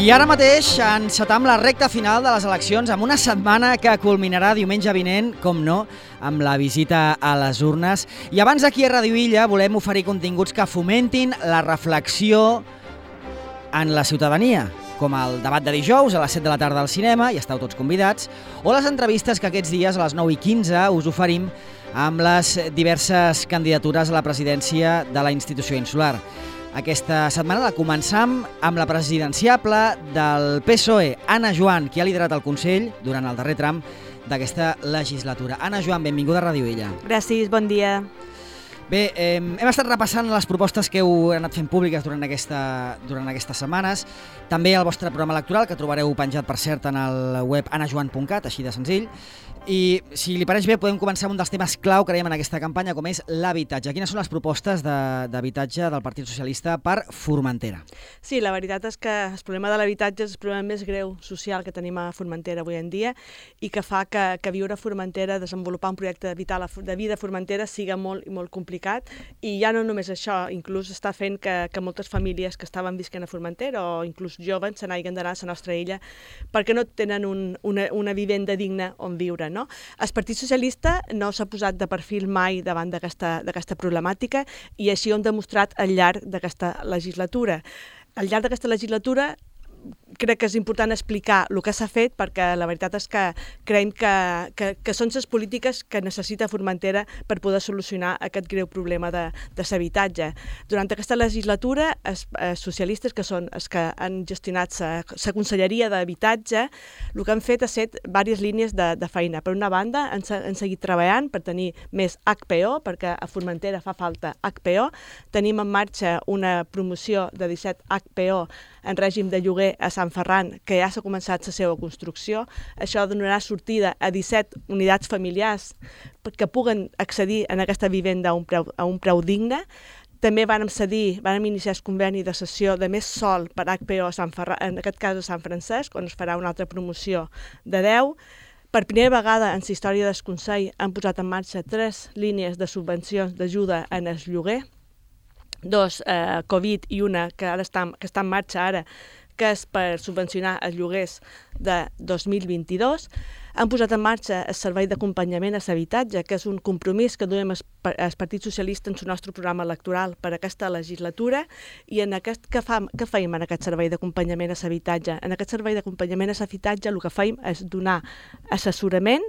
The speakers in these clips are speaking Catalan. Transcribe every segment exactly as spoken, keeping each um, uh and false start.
I ara mateix encetam la recta final de les eleccions amb una setmana que culminarà diumenge vinent, com no, amb la visita a les urnes. I abans aquí a Ràdio Illa volem oferir continguts que fomentin la reflexió en la ciutadania, com el debat de dijous a les set de la tarda al cinema, i esteu tots convidats, o les entrevistes que aquests dies a les nou i quinze us oferim amb les diverses candidatures a la presidència de la institució insular. Aquesta setmana la començam amb la presidenciable del P S O E, Anna Joan, qui ha liderat el Consell durant el darrer tram d'aquesta legislatura. Anna Joan, benvinguda a Ràdio Illa. Gràcies, bon dia. Bé, eh, hem estat repassant les propostes que heu anat fent públiques durant, aquesta, durant aquestes setmanes, també el vostre programa electoral, que trobareu penjat, per cert, en el web anna joan punt cat, així de senzill. I, si li pareix bé, podem començar amb un dels temes clau, creiem, en aquesta campanya, com és l'habitatge. Quines són les propostes d'habitatge del Partit Socialista per Formentera? Sí, la veritat és que el problema de l'habitatge és el problema més greu social que tenim a Formentera avui en dia i que fa que, que viure a Formentera, desenvolupar un projecte vital de vida a Formentera siga molt i molt complicat. I ja no només això, inclús està fent que, que moltes famílies que estaven visquent a Formentera o inclús joves se n'hagin d'anar a la nostra illa perquè no tenen un, una, una vivenda digna on viure. No? El Partit Socialista no s'ha posat de perfil mai davant d'aquesta problemàtica i així ho hem demostrat al llarg d'aquesta legislatura. Al llarg d'aquesta legislatura crec que és important explicar el que s'ha fet perquè la veritat és que creiem que, que, que són les polítiques que necessita Formentera per poder solucionar aquest greu problema de, de l'habitatge. Durant aquesta legislatura, els, els socialistes, que són els que han gestionat la Conselleria d'Habitatge, el que han fet ha set diverses línies de, de feina. Per una banda, han, han seguit treballant per tenir més H P O, perquè a Formentera fa falta H P O. Tenim en marxa una promoció de disset H P O en règim de lloguer a Sant Ferran, que ja s'ha començat la seva construcció. Això donarà sortida a disset unitats familiars que puguen accedir a aquesta vivenda a un preu, a un preu digne. També vam cedir, vam iniciar el conveni de cessió de més sòl per H P O, a Sant Ferran, en aquest cas a Sant Francesc, on es farà una altra promoció de deu. Per primera vegada en la història del Consell han posat en marxa tres línies de subvencions d'ajuda en el lloguer, dos eh, Covid i una que ara està, que està en marxa ara, que és per subvencionar els lloguers de dos mil vint-i-dos. Han posat en marxa el servei d'acompanyament a l'habitatge, que és un compromís que duem el Partit Socialista en el nostre programa electoral per aquesta legislatura. I en aquest, què, fam, què feim en aquest servei d'acompanyament a l'habitatge? En aquest servei d'acompanyament a l'habitatge el que feim és donar assessorament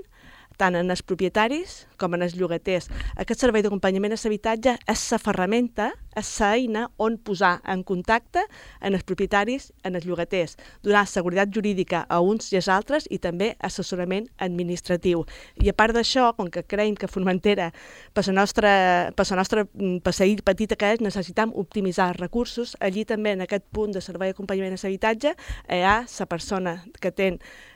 tant en els propietaris com en els llogaters. Aquest servei d'acompanyament a l'habitatge és la ferramenta, és l'eina on posar en contacte en els propietaris, en els llogaters, donar seguretat jurídica a uns i als altres i també assessorament administratiu. I a part d'això, com que creiem que Formentera, per la nostra, per la nostra per la illa petita que és, necessitem optimitzar els recursos, allí també en aquest punt de servei d'acompanyament a l'habitatge hi ha la persona que té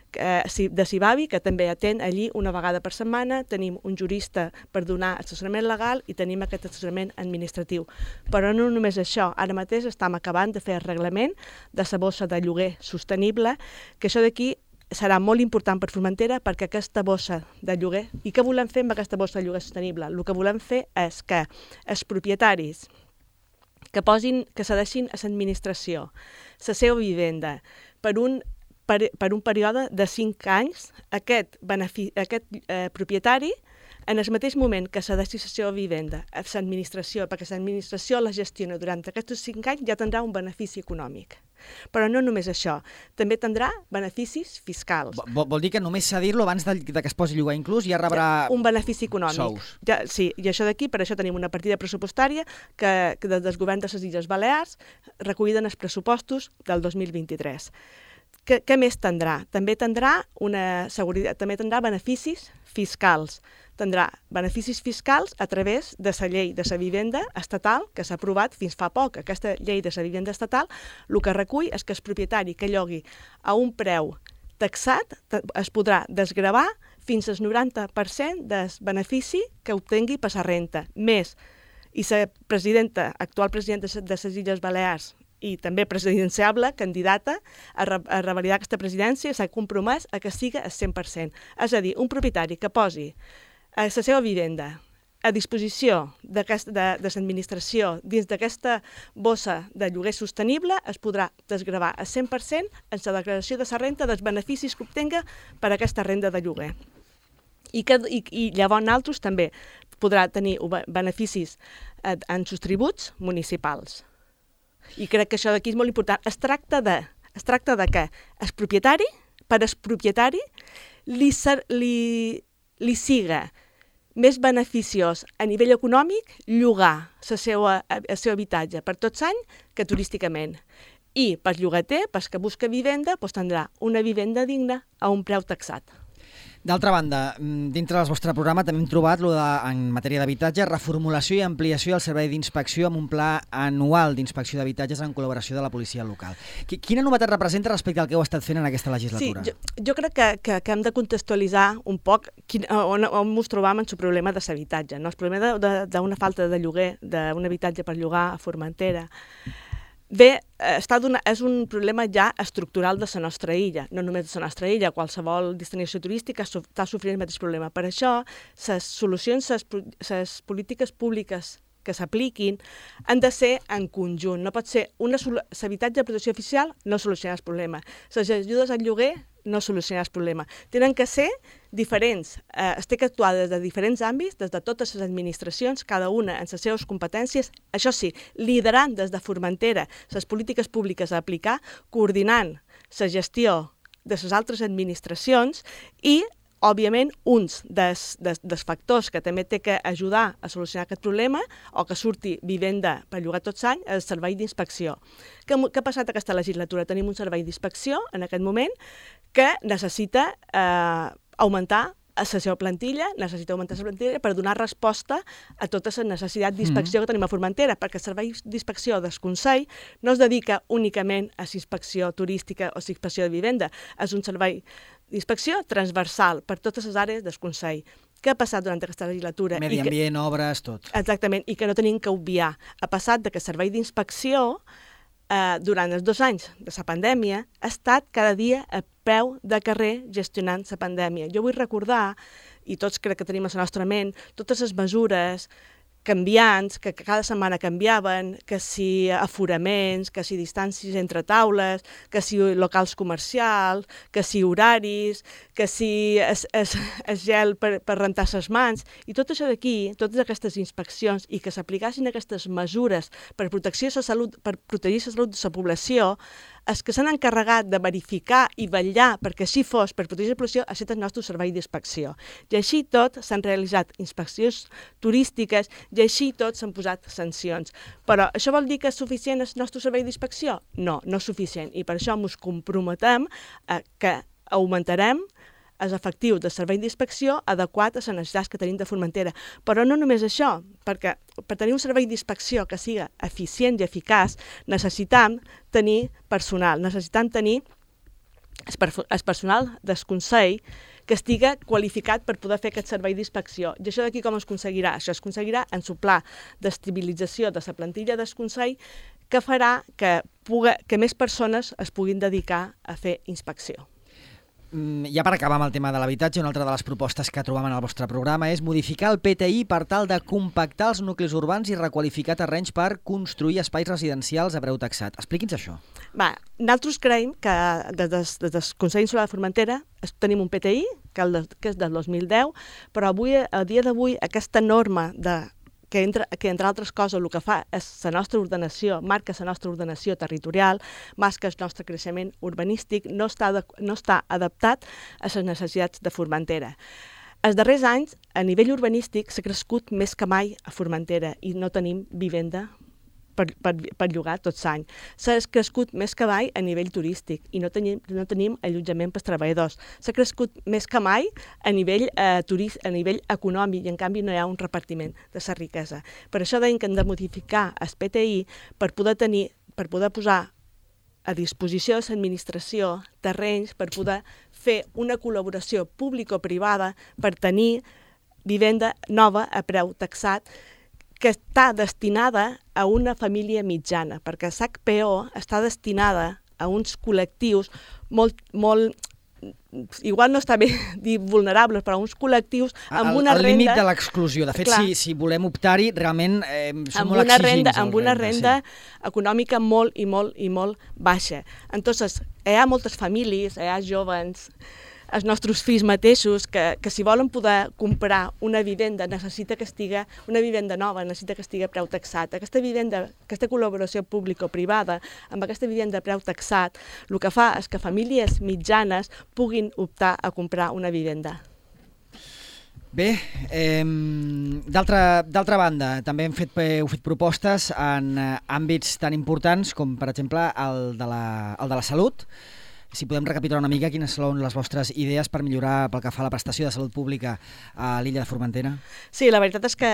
de Cibavi, que també atén allí una vegada per setmana, tenim un jurista per donar assessorament legal i tenim aquest assessorament administratiu. Però no només això, ara mateix estem acabant de fer el reglament de la bossa de lloguer sostenible, que això d'aquí serà molt important per Formentera perquè aquesta bossa de lloguer, i què volem fer amb aquesta bossa de lloguer sostenible? El que volem fer és que els propietaris que posin, que cedeixin a l'administració la seva vivenda per un Per, per un període de cinc anys, aquest, aquest eh, propietari, en el mateix moment que cedeixi la seva vivenda a l'administració, perquè l'administració la gestiona durant aquests cinc anys, ja tindrà un benefici econòmic. Però no només això, també tindrà beneficis fiscals. Vol, vol dir que només cedir-lo abans de, de que es posi a llogar inclús ja rebrà un benefici econòmic. Sous. Ja, sí, i això d'aquí, per això tenim una partida pressupostària que, que del govern de les Illes Balears recollida en els pressupostos del dos mil vint-i-tres. Què, què més tindrà? També tindrà una seguretat, també tindrà beneficis fiscals. Tindrà beneficis fiscals a través de la llei de la vivenda estatal que s'ha aprovat fins fa poc. Aquesta llei de la vivenda estatal el que recull és que el propietari que llogui a un preu taxat es podrà desgravar fins al noranta per cent del benefici que obtingui per la renta. Més, i la presidenta, actual presidenta de les Illes Balears, i també presidenciable, candidata a, re a revalidar aquesta presidència, s'ha compromès a que siga al cent per cent. És a dir, un propietari que posi a la seva vivenda a disposició de, de l'administració dins d'aquesta bossa de lloguer sostenible es podrà desgravar al cent per cent en la declaració de la renda dels beneficis que obtenga per aquesta renda de lloguer. I, que, i, i llavors altres també podrà tenir beneficis en sus tributs municipals. I crec que això d'aquí és molt important. Es tracta de, es tracta de que el propietari, per al propietari, li, li, li siga més beneficiós a nivell econòmic llogar el seu, el seu habitatge per tots anys que turísticament. I per llogater, per que busca vivenda, doncs tindrà una vivenda digna a un preu taxat. D'altra banda, dintre del vostre programa també hem trobat, lo de, en matèria d'habitatge, reformulació i ampliació del servei d'inspecció amb un pla anual d'inspecció d'habitatges en col·laboració de la policia local. Quina novetat representa respecte al que heu estat fent en aquesta legislatura? Sí, jo, jo crec que, que, que hem de contextualitzar un poc quin, on, on ens trobam en el problema de l'habitatge. No? El problema d'una falta de lloguer, d'un habitatge per llogar a Formentera, Bé, està és un problema ja estructural de la nostra illa, no només de la nostra illa, qualsevol destinació turística està sofrint el mateix problema. Per això, les solucions, les polítiques públiques que s'apliquin han de ser en conjunt. No pot ser l'habitatge de protecció oficial no soluciona el problema. Les ajudes al lloguer no solucionar el problema. Tenen que ser diferents, eh, es té que actuar des de diferents àmbits, des de totes les administracions, cada una en les seves competències, això sí, liderant des de Formentera les polítiques públiques a aplicar, coordinant la gestió de les altres administracions i, òbviament, uns dels, dels, dels factors que també té que ajudar a solucionar aquest problema o que surti vivenda per llogar tots anys és el servei d'inspecció. Què, què ha passat aquesta legislatura? Tenim un servei d'inspecció en aquest moment que necessita eh, augmentar la seva plantilla, necessita augmentar la plantilla per donar resposta a totes les necessitats d'inspecció mm. que tenim a Formentera, perquè el servei d'inspecció del Consell no es dedica únicament a l'inspecció turística o l'inspecció de vivenda, és un servei d'inspecció transversal per totes les àrees del Consell. Què ha passat durant aquesta legislatura? Medi ambient, que, obres, tot. Exactament, i que no tenim que obviar. Ha passat de que el servei d'inspecció eh, durant els dos anys de la pandèmia ha estat cada dia a peu de carrer gestionant la pandèmia. Jo vull recordar, i tots crec que tenim a la nostra ment, totes les mesures canviants, que cada setmana canviaven, que si aforaments, que si distàncies entre taules, que si locals comercials, que si horaris, que si es, es, es gel per, per rentar les mans, i tot això d'aquí, totes aquestes inspeccions, i que s'aplicassin aquestes mesures per protecció de la salut, per protegir la salut de la població, els que s'han encarregat de verificar i vetllar perquè així fos, per protegir la població, ha estat el nostre servei d'inspecció. I així tot s'han realitzat inspeccions turístiques i així tot s'han posat sancions. Però això vol dir que és suficient el nostre servei d'inspecció? No, no és suficient. I per això ens comprometem a que augmentarem els efectius de servei d'inspecció adequat a les necessitats que tenim de Formentera. Però no només això, perquè per tenir un servei d'inspecció que siga eficient i eficaç, necessitam tenir personal, necessitam tenir el personal del Consell que estiga qualificat per poder fer aquest servei d'inspecció. I això d'aquí com es aconseguirà? Això es aconseguirà en el pla d'estabilització de la plantilla del Consell que farà que, puga, que més persones es puguin dedicar a fer inspecció. Ja per acabar amb el tema de l'habitatge, una altra de les propostes que trobam en el vostre programa és modificar el P T I per tal de compactar els nuclis urbans i requalificar terrenys per construir espais residencials a preu taxat. Expliqui'ns això. Va, nosaltres creiem que des, des, des del Consell Insular de Formentera tenim un P T I, que, el de, que és del dos mil deu, però avui, a dia d'avui aquesta norma de que entre, que entre altres coses el que fa és la nostra ordenació, marca la nostra ordenació territorial, marca el nostre creixement urbanístic, no està, de, no està adaptat a les necessitats de Formentera. Els darrers anys, a nivell urbanístic, s'ha crescut més que mai a Formentera i no tenim vivenda per, per, per llogar tots l'any. S'ha crescut més que mai a nivell turístic i no tenim, no tenim allotjament pels treballadors. S'ha crescut més que mai a nivell, eh, turist, a nivell econòmic i en canvi no hi ha un repartiment de la riquesa. Per això deim que hem de modificar el P T I per poder tenir, per poder posar a disposició de l'administració terrenys per poder fer una col·laboració público-privada per tenir vivenda nova a preu taxat que està destinada a una família mitjana, perquè l'H P O està destinada a uns col·lectius molt, molt igual no està bé dir vulnerables, però uns col·lectius amb el, una el renda... El límit de l'exclusió. De fet, si, si volem optar-hi, realment eh, som amb molt una exigents. Renda, amb una renda, renda sí. econòmica molt i molt i molt baixa. Entonces, hi ha moltes famílies, hi ha joves, els nostres fills mateixos, que, que si volen poder comprar una vivenda necessita que estigui, una vivenda nova necessita que estigui a preu taxat. Aquesta vivenda, aquesta col·laboració pública-privada, amb aquesta vivenda a preu taxat, el que fa és que famílies mitjanes puguin optar a comprar una vivenda. Bé, eh, d'altra banda, també hem fet, heu fet propostes en àmbits tan importants com, per exemple, el de la, el de la salut. Si podem recapitular una mica quines són les vostres idees per millorar pel que fa a la prestació de salut pública a l'illa de Formentera. Sí, la veritat és que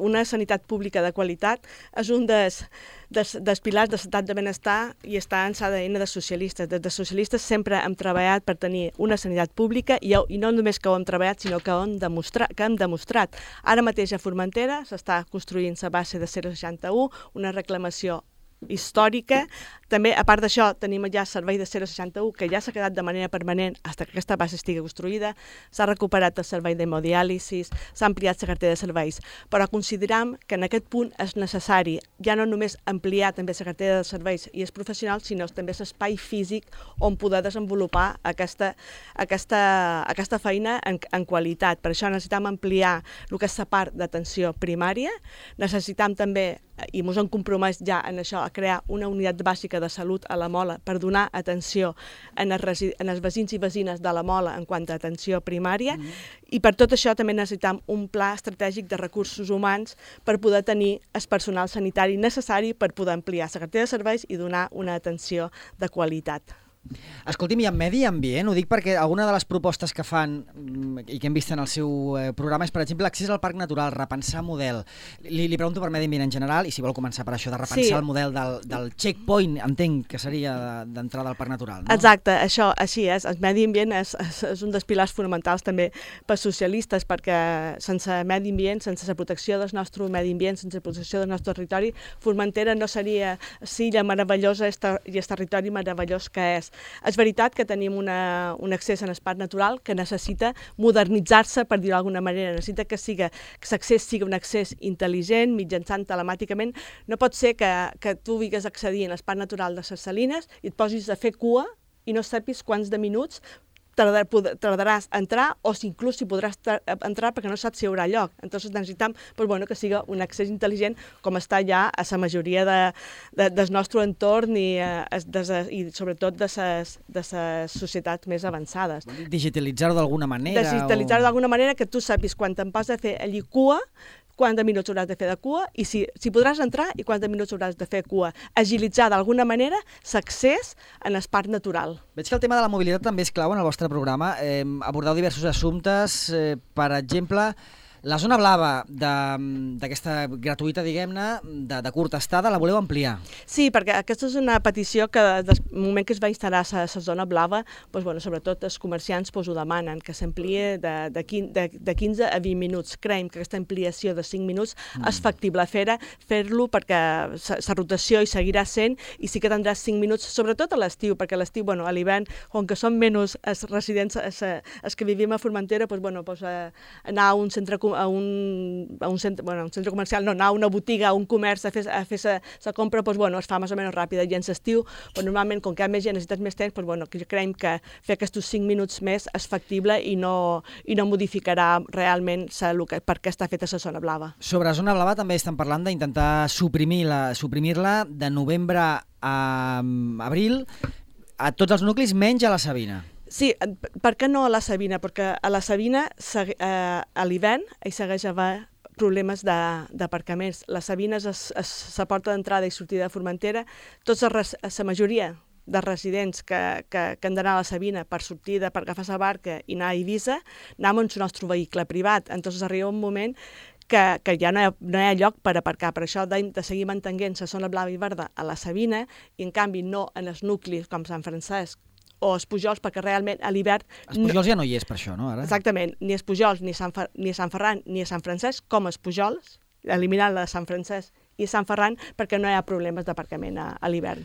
una sanitat pública de qualitat és un dels, dels, dels pilars de l'estat de benestar i està en l'A D N de socialistes. Des de socialistes sempre hem treballat per tenir una sanitat pública i, i no només que ho hem treballat, sinó que ho hem demostrat. Que hem demostrat. Ara mateix a Formentera s'està construint la base de zero seixanta u, una reclamació històrica. També, a part d'això, tenim ja el servei de zero seixanta u, que ja s'ha quedat de manera permanent fins que aquesta base estigui construïda. S'ha recuperat el servei d'hemodiàlisi, s'ha ampliat la cartera de serveis, però consideram que en aquest punt és necessari ja no només ampliar també la cartera de serveis i els professionals, sinó també l'espai físic on poder desenvolupar aquesta, aquesta, aquesta feina en, en qualitat. Per això necessitam ampliar el que és la part d'atenció primària, necessitam també, i ens hem compromès ja en això, a crear una unitat bàsica de salut a la Mola per donar atenció en els, en els veïns i veïnes de la Mola en quant a atenció primària, mm. i per tot això també necessitam un pla estratègic de recursos humans per poder tenir el personal sanitari necessari per poder ampliar la cartera de serveis i donar una atenció de qualitat. Escolti'm, i en medi ambient, ho dic perquè alguna de les propostes que fan i que hem vist en el seu programa és, per exemple, l'accés al parc natural, repensar model. Li, li pregunto per medi ambient en general i si vol començar per això, de repensar sí. el model del, del checkpoint, entenc que seria d'entrada al parc natural. No? Exacte, això així és. El medi ambient és, és, és un dels pilars fonamentals també per socialistes, perquè sense medi ambient, sense la protecció del nostre medi ambient, sense la protecció del nostre territori, Formentera no seria l'illa meravellosa i el territori meravellós que és. És veritat que tenim una, un accés en el parc natural que necessita modernitzar-se, per dir-ho d'alguna manera. Necessita que siga, que l'accés sigui un accés intel·ligent, mitjançant telemàticament. No pot ser que, que tu vingues a accedir en el parc natural de les Salines i et posis a fer cua i no sapis quants de minuts Tardar, tardaràs a entrar o si inclús si podràs entrar perquè no saps si hi haurà lloc. Entonces necessitam pues, bueno, que sigui un accés intel·ligent com està ja a la majoria de, de, del nostre entorn i, eh, de, i sobretot de les de societats més avançades. Digitalitzar-ho d'alguna manera? Digitalitzar-ho o... d'alguna manera que tu sàpis quan te'n vas a fer allí cua, quants de minuts hauràs de fer de cua i si, si podràs entrar i quants de minuts hauràs de fer cua. Agilitzar d'alguna manera l'accés en el parc natural. Veig que el tema de la mobilitat també és clau en el vostre programa. Eh, abordeu diversos assumptes, eh, per exemple, la zona blava d'aquesta gratuïta, diguem-ne, de, de curta estada, la voleu ampliar? Sí, perquè aquesta és una petició que des del moment que es va instal·lar la zona blava, doncs, bueno, sobretot els comerciants doncs, ho demanen, que s'amplie de, de, de, de quinze a vint minuts. Creiem que aquesta ampliació de cinc minuts mm. és factible fer-ho fer perquè la rotació hi seguirà sent i sí que tindràs cinc minuts, sobretot a l'estiu, perquè a l'estiu, bueno, a l'hivern, com que són menys els residents, els, els que vivim a Formentera, doncs, bueno, doncs, anar a un centre comercial a un, a un, centre, bueno, un centre comercial, no, anar a una botiga, a un comerç a fer, a fer sa, sa compra, doncs, bueno, es fa més o menys ràpida. I en l'estiu, doncs, normalment, com que hi ha més gent, necessites més temps, doncs, bueno, que creiem que fer aquests cinc minuts més és factible i no, i no modificarà realment sa, que, per què està feta la zona blava. Sobre zona blava també estan parlant d'intentar suprimir-la suprimir-la de novembre a abril a tots els nuclis menys a la Sabina. Sí, per què no a la Sabina? Perquè a la Sabina, eh, a l'hivern, hi segueix havent problemes d'aparcaments. La Sabina és la porta d'entrada i sortida de Formentera. Tots, la majoria de residents que, que, que han d'anar a la Sabina per sortir, de, per agafar la barca i anar a Eivissa, anem amb el nostre vehicle privat. Entonces arriba un moment que, que ja no hi, ha, no hi ha lloc per aparcar. Per això de, de seguir mantenint la zona blava i verda a la Sabina i, en canvi, no en els nuclis com Sant Francesc o els Pujols, perquè realment a l'hivern... Els Pujols ja no hi és per això, no? Ara? Exactament, ni els Pujols, ni Sant, Fer... ni Sant Ferran, ni Sant Francesc, com els Pujols, eliminant la de Sant Francesc i Sant Ferran, perquè no hi ha problemes d'aparcament a, a l'hivern.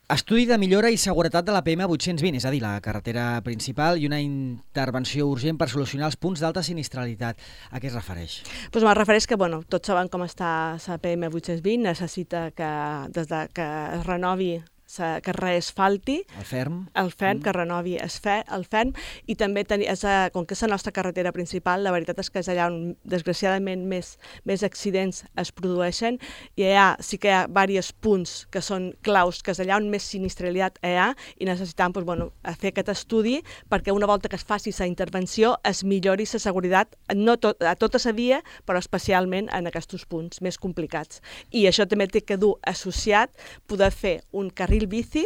Estudi de millora i seguretat de la P M vuit-cents vint, és a dir, la carretera principal, i una intervenció urgent per solucionar els punts d'alta sinistralitat. A què es refereix? Doncs me'l refereix que, bueno, tots saben com està la P M vuit-cents vint, necessita que, des de que es renovi, que es reasfalti, el ferm, el ferm mm. que renovi es fe, el ferm, i també, teni, és a, com que és la nostra carretera principal, la veritat és que és allà on, desgraciadament, més, més accidents es produeixen, i allà sí que hi ha diversos punts que són claus, que és allà on més sinistralitat hi ha, i necessitam doncs, bueno, fer aquest estudi perquè una volta que es faci la intervenció es millori la seguretat no tot, a tota la via, però especialment en aquests punts més complicats. I això també té que dur associat poder fer un carril bici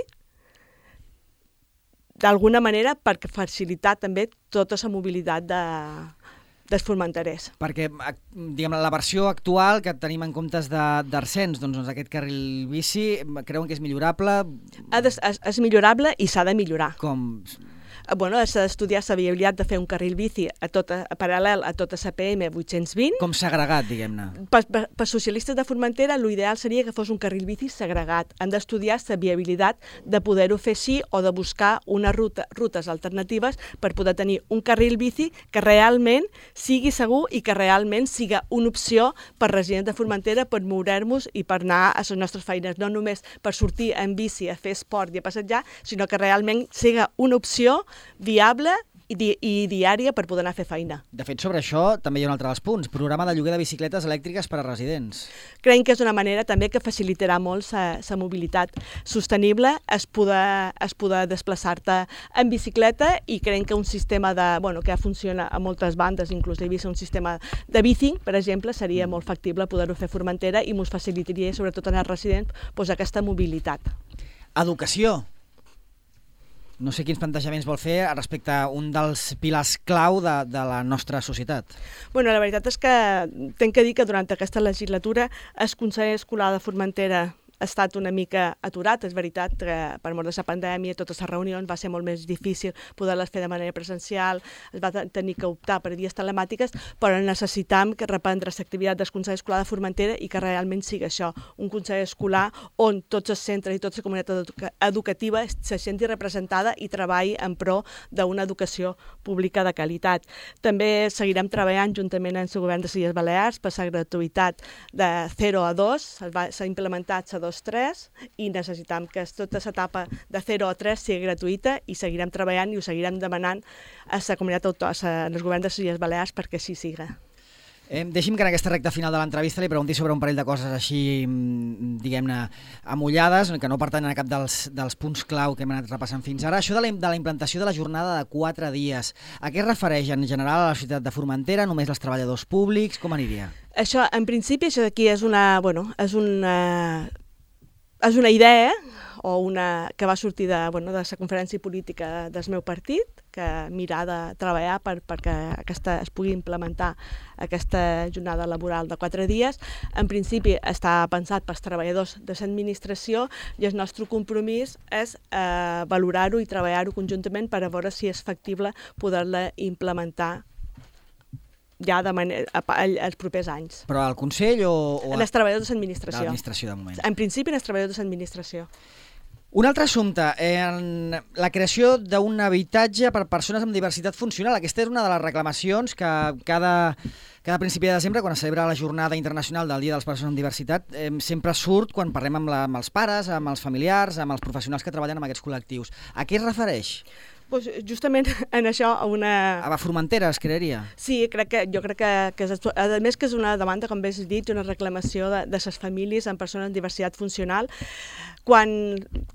d'alguna manera per facilitar també tota la mobilitat de, dels formenterers. Perquè diguem, la versió actual que tenim en comptes d'Arsens, doncs, doncs aquest carril bici, creuen que és millorable? És, és, és millorable i s'ha de millorar. Com? Bueno, s'ha d'estudiar la viabilitat de fer un carril bici a tota, a paral·lel a tota la P M vuit-cents vint. Com segregat, diguem-ne. Per, per, per socialistes de Formentera, l'ideal seria que fos un carril bici segregat. Han d'estudiar la viabilitat de poder-ho fer així o de buscar unes ruta, rutes alternatives per poder tenir un carril bici que realment sigui segur i que realment sigui una opció per residents de Formentera per moure-nos i per anar a les nostres feines, no només per sortir en bici a fer esport i a passejar, sinó que realment sigui una opció viable i, di i diària per poder anar a fer feina. De fet, sobre això també hi ha un altre dels punts, programa de lloguer de bicicletes elèctriques per a residents. Creiem que és una manera també que facilitarà molt la mobilitat sostenible, es poder, es poder desplaçar-te en bicicleta, i creiem que un sistema de, bueno, que ja funciona a moltes bandes, inclús he vist un sistema de bicing, per exemple, seria molt factible poder-ho fer a Formentera i ens facilitaria, sobretot en els residents, doncs, aquesta mobilitat. Educació. No sé quins plantejaments vol fer respecte a un dels pilars clau de, de la nostra societat. Bueno, la veritat és que tinc que dir que durant aquesta legislatura el Consell Escolar de Formentera ha estat una mica aturat. És veritat que per mort de la pandèmia totes les reunions va ser molt més difícil poder-les fer de manera presencial, es va tenir que optar per vies telemàtiques, però necessitam que reprendre l'activitat del Consell Escolar de Formentera i que realment sigui això, un Consell Escolar on tots els centres i tota la comunitat educativa se senti representada i treballi en pro d'una educació pública de qualitat. També seguirem treballant juntament amb el govern de les Illes Balears per la gratuïtat de zero a dos, s'ha implementat la dos tres i necessitam que tota l'etapa de zero a tres sigui gratuïta, i seguirem treballant i ho seguirem demanant a la comunitat autònoma, als governs de les Illes Balears, perquè així siga. Eh, deixi'm que en aquesta recta final de l'entrevista li pregunti sobre un parell de coses així, diguem-ne, amullades, que no pertanyen a cap dels, dels punts clau que hem anat repassant fins ara. Això de la, de la implantació de la jornada de quatre dies, a què es refereix en general a la ciutat de Formentera? Només els treballadors públics? Com aniria? Això, en principi, això d'aquí és una, bueno, és una, és una idea o una, que va sortir de, bueno, de la conferència política del meu partit, que mira de treballar per, perquè aquesta, es pugui implementar aquesta jornada laboral de quatre dies. En principi està pensat pels treballadors de l'administració i el nostre compromís és eh, valorar-ho i treballar-ho conjuntament per a veure si és factible poder-la implementar ja de manera, els propers anys. Però al Consell o... o en els treballadors de l'administració. De l'administració, de moment. En principi, en els treballadors de l'administració. Un altre assumpte, en la creació d'un habitatge per persones amb diversitat funcional. Aquesta és una de les reclamacions que cada, cada principi de desembre, quan es celebra la Jornada Internacional del Dia de les Persones amb Diversitat, eh, sempre surt quan parlem amb, la, amb els pares, amb els familiars, amb els professionals que treballen amb aquests col·lectius. A què es refereix? Pues justament en això a una... A Formentera es crearia? Sí, crec que, jo crec que, que és, a més que és una demanda, com bé has dit, una reclamació de, de les famílies amb persones amb diversitat funcional. Quan,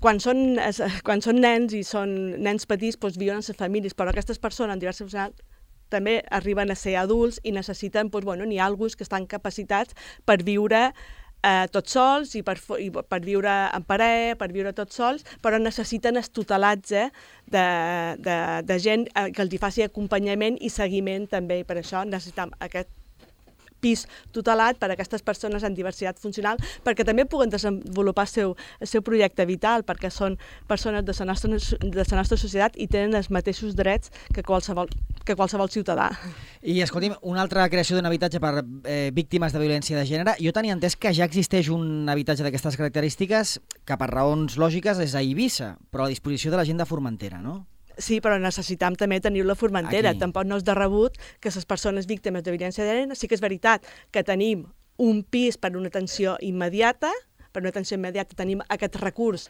quan, són, quan són nens i són nens petits, doncs viuen en les famílies, però aquestes persones amb diversitat funcional també arriben a ser adults i necessiten, doncs, bueno, n'hi ha alguns que estan capacitats per viure Eh, tots sols i per, i per viure en parella, per viure tots sols, però necessiten el tutelatge de, de, de gent que els hi faci acompanyament i seguiment també, i per això necessitem aquest pis tutelat per a aquestes persones amb diversitat funcional, perquè també puguen desenvolupar el seu, el seu projecte vital, perquè són persones de la nostra, de la nostra societat i tenen els mateixos drets que qualsevol, que qualsevol ciutadà. I, escolti'm, una altra creació d'un habitatge per eh, víctimes de violència de gènere. Jo tenia entès que ja existeix un habitatge d'aquestes característiques que per raons lògiques és a Eivissa, però a disposició de la gent de Formentera, no? Sí, però necessitam també tenir la Formentera. Aquí. Tampoc no és de rebut que les persones víctimes de violència de gènere, sí que és veritat que tenim un pis per una atenció immediata, per una atenció immediata tenim aquest recurs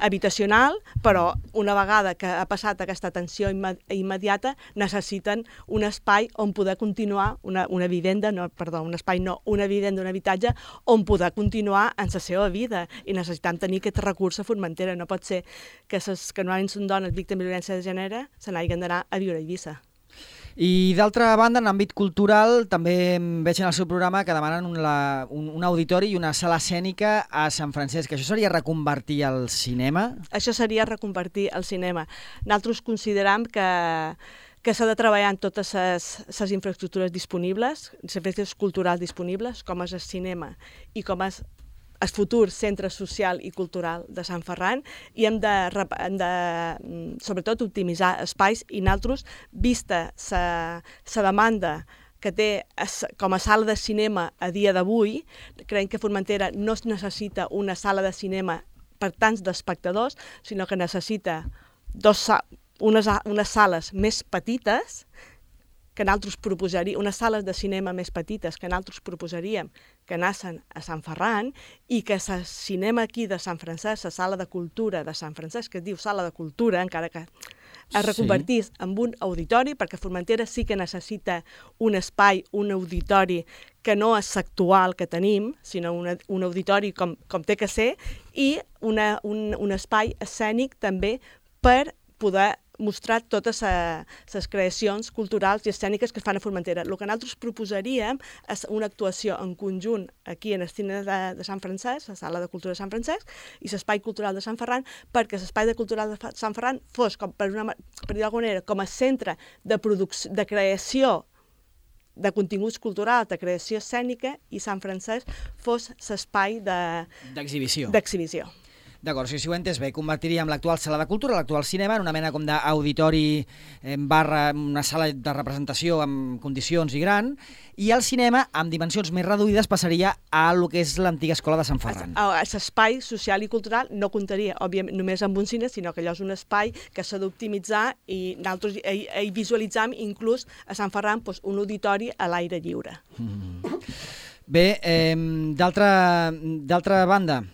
habitacional, però una vegada que ha passat aquesta atenció immediata necessiten un espai on poder continuar, una, una vivenda, no, perdó, un espai no, una vivenda, un habitatge, on poder continuar en la seva vida, i necessitem tenir aquest recurs a Formentera. No pot ser que les que normalment són dones víctimes de violència de gènere se n'hagin d'anar a viure a Eivissa. I d'altra banda, en l'àmbit cultural, també veig en el seu programa que demanen un, la, un, un auditori i una sala escènica a Sant Francesc. Això seria reconvertir el cinema? Això seria reconvertir el cinema. Nosaltres consideram que que s'ha de treballar en totes les infraestructures disponibles, les infraestructures culturals disponibles, com és el cinema i com és el futur centre social i cultural de Sant Ferran, i hem de, hem de sobretot, optimitzar espais, i nosaltres, vista la demanda que té com a sala de cinema a dia d'avui, creiem que Formentera no es necessita una sala de cinema per tants d'espectadors, sinó que necessita dos, unes, unes sales més petites, que nosaltres proposaríem, unes sales de cinema més petites que nosaltres proposaríem que anessin a Sant Ferran, i que el cinema aquí de Sant Francesc, la sala de cultura de Sant Francesc, que es diu sala de cultura, encara que es reconvertís sí. en un auditori, perquè Formentera sí que necessita un espai, un auditori que no és l'actual que tenim, sinó una, un auditori com, com té que ser, i una, un, un espai escènic també per poder mostrar totes les creacions culturals i escèniques que es fan a Formentera. El que nosaltres proposaríem és una actuació en conjunt aquí en el cine de, de Sant Francesc, la sala de cultura de Sant Francesc, i l'espai cultural de Sant Ferran, perquè l'espai de cultural de Sant Ferran fos, com per, una, per dir d'alguna manera, com a centre de, de creació de continguts culturals, de creació escènica, i Sant Francesc fos l'espai d'exhibició. d'exhibició. D'acord, si ho he entès bé, convertiríem l'actual sala de cultura, l'actual cinema, en una mena com d'auditori barra una sala de representació amb condicions i gran, i el cinema, amb dimensions més reduïdes, passaria a el que és l'antiga escola de Sant Ferran. L'espai social i cultural no comptaria, òbviament, només amb un cine, sinó que allò és un espai que s'ha d'optimitzar, i nosaltres hi, hi visualitzam inclús a Sant Ferran doncs, un auditori a l'aire lliure. Mm. Bé, eh, d'altra banda,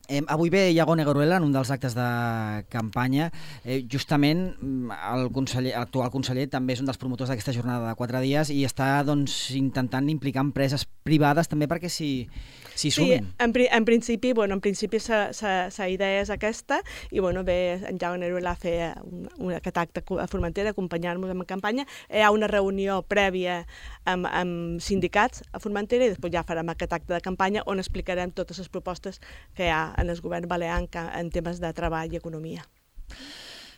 Eh, avui ve Iago Negueruela en un dels actes de campanya. Eh, justament el conseller, l'actual conseller també és un dels promotors d'aquesta jornada de quatre dies i està doncs, intentant implicar empreses privades també perquè s'hi s'hi sumin. Sí, en, en principi, bueno, en principi la idea és aquesta, i bueno, ve en Iago Negueruela a fer un, un, aquest acte a Formentera, acompanyar-nos en campanya. Hi ha una reunió prèvia amb, amb sindicats a Formentera i després ja farem aquest acte de campanya on explicarem totes les propostes que hi ha en el govern balear en temes de treball i economia.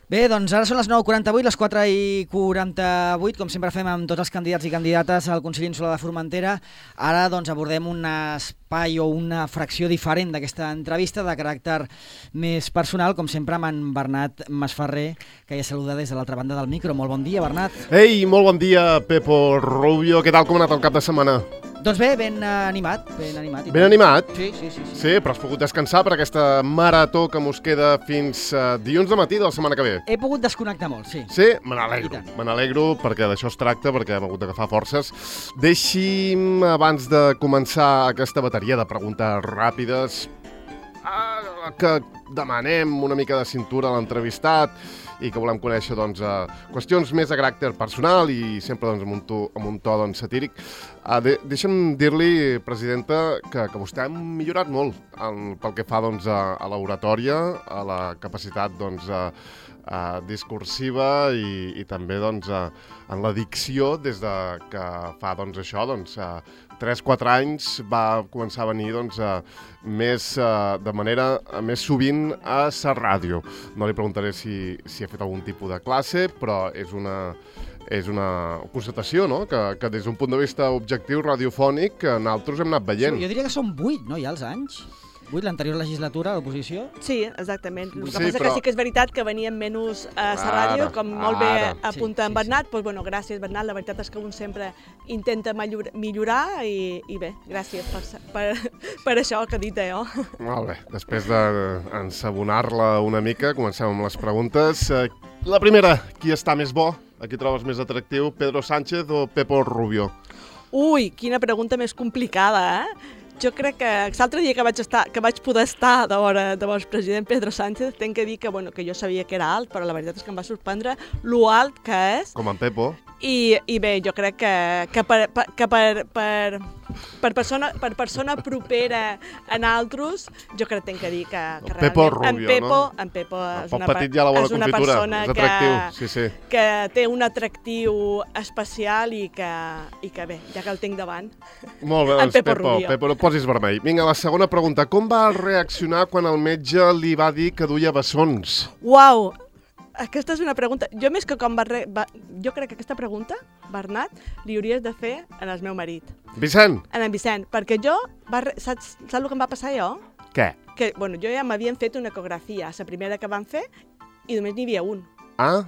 Bé, doncs ara són les nou i quaranta-vuit, les quatre i quaranta-vuit, com sempre fem amb tots els candidats i candidates al Consell Insular de Formentera. Ara doncs abordem un espai o una fracció diferent d'aquesta entrevista de caràcter més personal, com sempre amb en Bernat Masferrer, que ja saluda des de l'altra banda del micro. Molt bon dia, Bernat. Ei, molt bon dia, Pepo Rubio. Què tal, com ha anat el cap de setmana? Doncs bé, ben animat. Ben animat, ben animat? Sí, sí, sí, sí. Sí, però has pogut descansar per aquesta marató que mos queda fins uh, dilluns de matí de la setmana que ve. He pogut desconnectar molt, sí. Sí? Me n'alegro. Me n'alegro perquè d'això es tracta, perquè hem hagut d'agafar forces. Deixi'm, abans de començar aquesta bateria de preguntes ràpides, uh, que demanem una mica de cintura a l'entrevistat i que volem conèixer doncs, uh, qüestions més de caràcter personal i sempre doncs, amb un to, amb un to doncs, satíric. Uh, de, deixa'm dir-li, presidenta, que, que vostè ha millorat molt en, pel que fa doncs, a, a l'oratòria, a la capacitat doncs, a, a discursiva i, i també doncs, a, en la dicció des de que fa doncs, això, doncs, a, tres quatre anys va començar a venir doncs, a, més, a, de manera a, més sovint a la ràdio. No li preguntaré si, si ha fet algun tipus de classe, però és una, és una constatació, no? que, que des d'un punt de vista objectiu radiofònic que nosaltres hem anat veient. Sí, jo diria que són vuit, no, ja els anys? vuit, l'anterior legislatura, a l'oposició? Sí, exactament. El que Sí, passa però- que sí que és veritat que venien menys a la ràdio, Ara, com molt bé ara. apunta Sí, en sí, Bernat. Doncs, bueno, gràcies, Bernat. La veritat és que un sempre intenta millor- millorar i, i bé, gràcies per, per, per això que he dit jo. Molt bé, després d'ensabonar-la una mica, comencem amb les preguntes. Eh, La primera, qui està més bo? A qui trobes més atractiu, Pedro Sánchez o Pepo Rubio? Ui, quina pregunta més complicada, eh? Jo crec que l'altre dia que vaig, estar, que vaig poder estar de vora de vos president Pedro Sánchez, tenc que dir que, bueno, que jo sabia que era alt, però la veritat és que em va sorprendre lo alt que és. Com en Pepo? I, i bé, jo crec que, que, per, per, que per, per, per, persona, per persona propera en altres, jo crec que tenc que dir que, que Pepo realment Rubio, en Pepo, no? en Pepo és Poc una, petit ja a la vora és una confitura, persona és atractiu, que, sí, sí. que té un atractiu especial i que, i que bé, ja que el tinc davant. Molt bé, En doncs Pepo Pepo, Rubio. Pepo, no et posis vermell. Vinga, la segona pregunta. Com va reaccionar quan el metge li va dir que duia bessons? Uau! Aquesta és una pregunta... Jo més que com va, re... va... Jo crec que aquesta pregunta, Bernat, li hauries de fer en el meu marit, Vicent, en en Vicent, perquè jo... Va re... saps, saps el que em va passar jo? què? Que, bueno, jo ja m'havien fet una ecografia, la primera que van fer, i només n'hi havia un. Ah?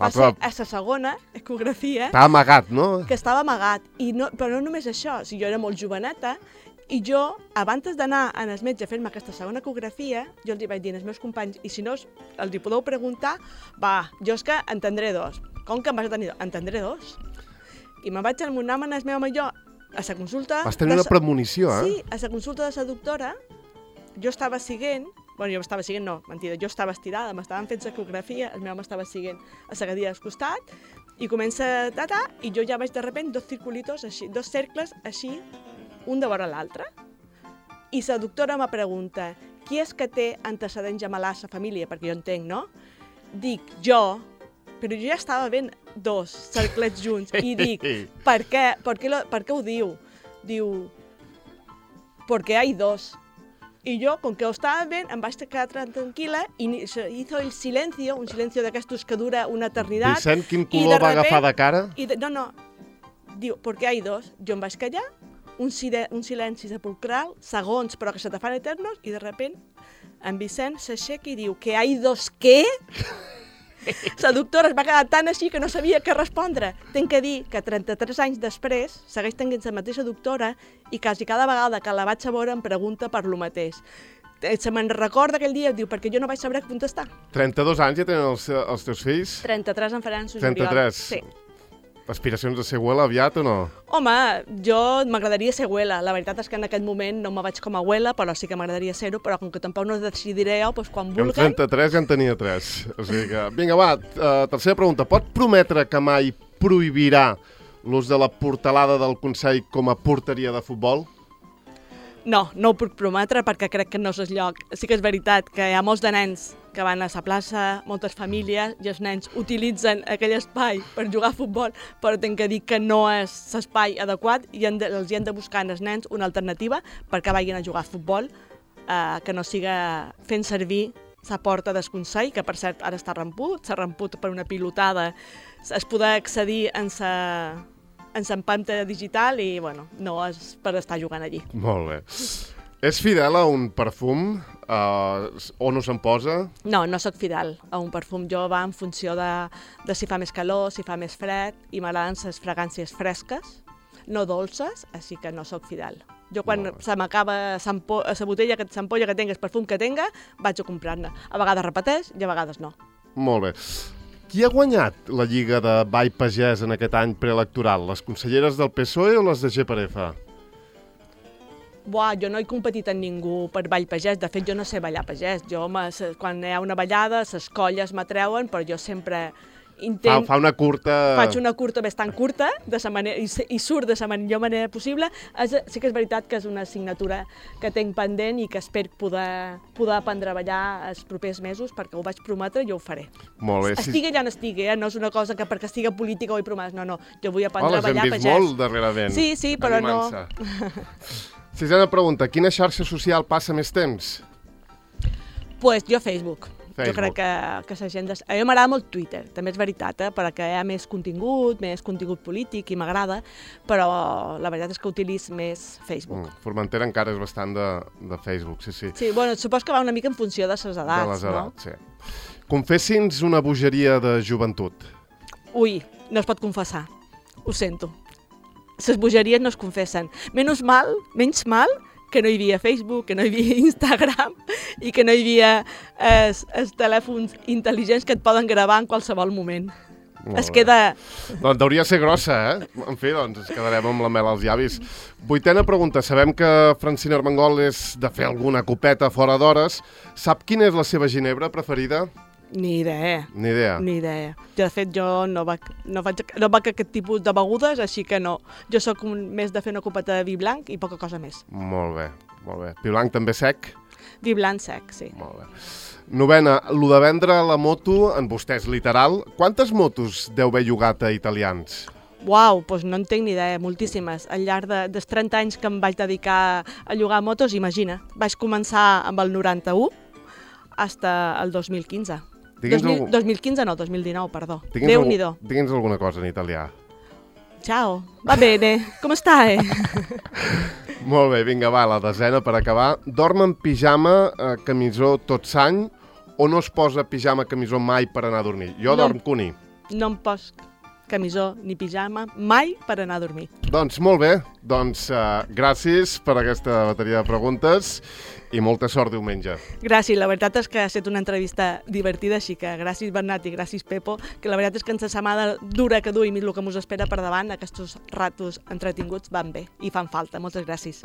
Va Ah, ser però a la segona ecografia, t'ha amagat, no? que estava amagat. I no, però no només això, si jo era molt joveneta, i jo, abans d'anar al metge a fer-me aquesta segona ecografia, jo els hi vaig dir als meus companys, i si no els hi podeu preguntar, va, jo és que en tindré dos. Com que em vas tenir dos? En tindré dos. I me'n vaig amonar amb el meu home i jo a la consulta... Vas tenir de una sa- premonició, eh? Sí, a la consulta de la doctora, jo estava siguent, bueno, jo estava siguent, no, mentida, jo estava estirada, m'estaven fent l'ecografia, el meu home estava siguent a la cadira al costat, i comença a ta, i jo ja veig de repente dos circulitos, així, dos cercles, així, un de vora l'altre. I la doctora me pregunta, qui és que té antecedents gemelars a la família? Perquè jo entenc, no? Dic, jo, però jo ja estava ben dos cerclets junts, i dic, per què? Per què, lo, per què ho diu? Diu, porque hay dos. Y yo, con que ho estava ben, em vaig quedar tranquil·la i ni- se hizo el silencio, un silencio d'aquestos que dura una eternitat. Vicent, quin i color de va repent- agafar de cara? I de, no, no, diu, porque hay dos. Jo em vaig callar, un, sile, un silenci sepulcral, segons, però que se te fan eternos, i de repent en Vicent s'aixeca i diu, que hay dos què? La doctora es va quedar tan així que no sabia què respondre. Tenc que dir que trenta-tres anys després segueix tenint la mateixa doctora i quasi cada vegada que la vaig a veure em pregunta per lo mateix. Eh, Se me'n recorda aquell dia, diu, perquè jo no vaig saber contestar. trenta-dos anys ja tenen els, els teus fills? trenta-tres en faran su trenta-tres. Sí. Aspiracions de ser abuela aviat o no? Home, jo m'agradaria ser abuela. La veritat és que en aquest moment no me vaig com a abuela, però sí que m'agradaria ser-ho, però com que tampoc no decidiré jo, doncs quan Jo amb vulguen... trenta-tres ja en tenia tres. O sigui que... Vinga, va, uh, tercera pregunta. Pot prometre que mai prohibirà l'ús de la portalada del Consell com a porteria de futbol? No, no ho puc prometre perquè crec que no és el lloc. Sí que és veritat que hi ha molts de nens que van a la plaça, moltes famílies, i els nens utilitzen aquell espai per jugar a futbol, però tinc que dir que no és l'espai adequat i han de, els hi hem de buscar als nens una alternativa perquè vagin a jugar a futbol, eh, que no siga fent servir la porta del Consell, que per cert ara està ramput, s'ha ramput per una pilotada, es podrà accedir en sa en l'empanta digital i, bueno, no és per estar jugant allí. Molt bé. És fidel a un perfum? Uh, o no se'n posa? No, no sóc fidel a un perfum. Jo va en funció de, de si fa més calor, si fa més fred, i m'agraden les fragàncies fresques, no dolces, així que no sóc fidel. Jo quan Molt bé. se m'acaba la botella, que l'ampolla que tenga, el perfum que tenga, vaig a comprar-ne. A vegades repeteix i a vegades no. Molt bé. Qui ha guanyat la Lliga de Ball Pagès en aquest any preelectoral? Les conselleres del P S O E o les de G per F? Buah, jo no he competit amb ningú per ball pagès. De fet, jo no sé ballar pagès. Jo, quan hi ha una ballada, les colles m'atreuen, però jo sempre intent... Fa, fa una curta... Faig una curta bastant curta, de sa manera, i, i surt de la millor manera possible. És, sí que és veritat que és una assignatura que tinc pendent i que espero poder, poder aprendre a ballar els propers mesos, perquè ho vaig prometre i ho faré. Molt bé. Estigui allà on estigui, eh? No és una cosa que perquè estigui política ho he promès, no, no. Jo vull aprendre Oh, a ballar les hem vist pagès. molt darrerament. Sí, sí, però no... Animant-se. Sisena pregunta. Quina xarxa social passa més temps? Pues jo Facebook. Facebook. Jo crec que, que la gent... Des... A mi m'agrada molt Twitter, també és veritat, eh? perquè hi ha més contingut, més contingut polític i m'agrada, però la veritat és que utilitzo més Facebook. Mm, Formentera encara és bastant de, de Facebook, sí, sí. Sí, bueno, supos que va una mica en funció de les edats, de les edats, no? sí. Confessi'ns una bogeria de joventut. Ui, no es pot confessar, ho sento. Les bogeries no es confessen. Menys mal, menys mal, que no hi havia Facebook, que no hi havia Instagram i que no hi havia eh, els telèfons intel·ligents que et poden gravar en qualsevol moment. Molt Es bé. queda... Doncs hauria de ser grossa, eh? En fi, doncs ens quedarem amb la mel als llavis. Vuitena pregunta. Sabem que Francina Armengol és de fer alguna copeta fora d'hores. Sap quina és la seva ginebra preferida? Ni idea. Ni idea. Ni idea. De fet, jo no vaig, no vaig, no vaig a aquest tipus de begudes, així que no. Jo sóc un, més de fer una copeta de vi blanc i poca cosa més. Molt bé, molt bé. Pi blanc també sec? Vi blanc sec, sí. Molt bé. Novena, lo de vendre la moto, en vostè és literal. Quantes motos deu haver llogat a italians? Uau, doncs no en tinc ni idea, moltíssimes. Al llarg de, dels trenta anys que em vaig dedicar a llogar motos, imagina. Vaig començar amb el noranta-u fins al dos mil quinze. Digui'ns dos mil, algú- dos mil quinze no, dos mil dinou, perdó. Digui'ns Déu-n'hi-do. algu- Digui'ns alguna cosa en italià. Ciao, va bene, com stai? Molt bé, vinga, va, la desena per acabar. Dorm en pijama, eh, camisó tot s'any, o no es posa pijama, camisó mai per anar a dormir? Jo No. dorm cuní. No em pos camisó ni pijama mai per anar a dormir. Doncs molt bé, doncs uh, gràcies per aquesta bateria de preguntes i molta sort diumenge. Gràcies, la veritat és que ha estat una entrevista divertida, així que gràcies Bernat i gràcies Pepo, que la veritat és que en la setmana dura que duim i el que mos espera per davant, aquests ratos entretinguts van bé i fan falta. Moltes gràcies.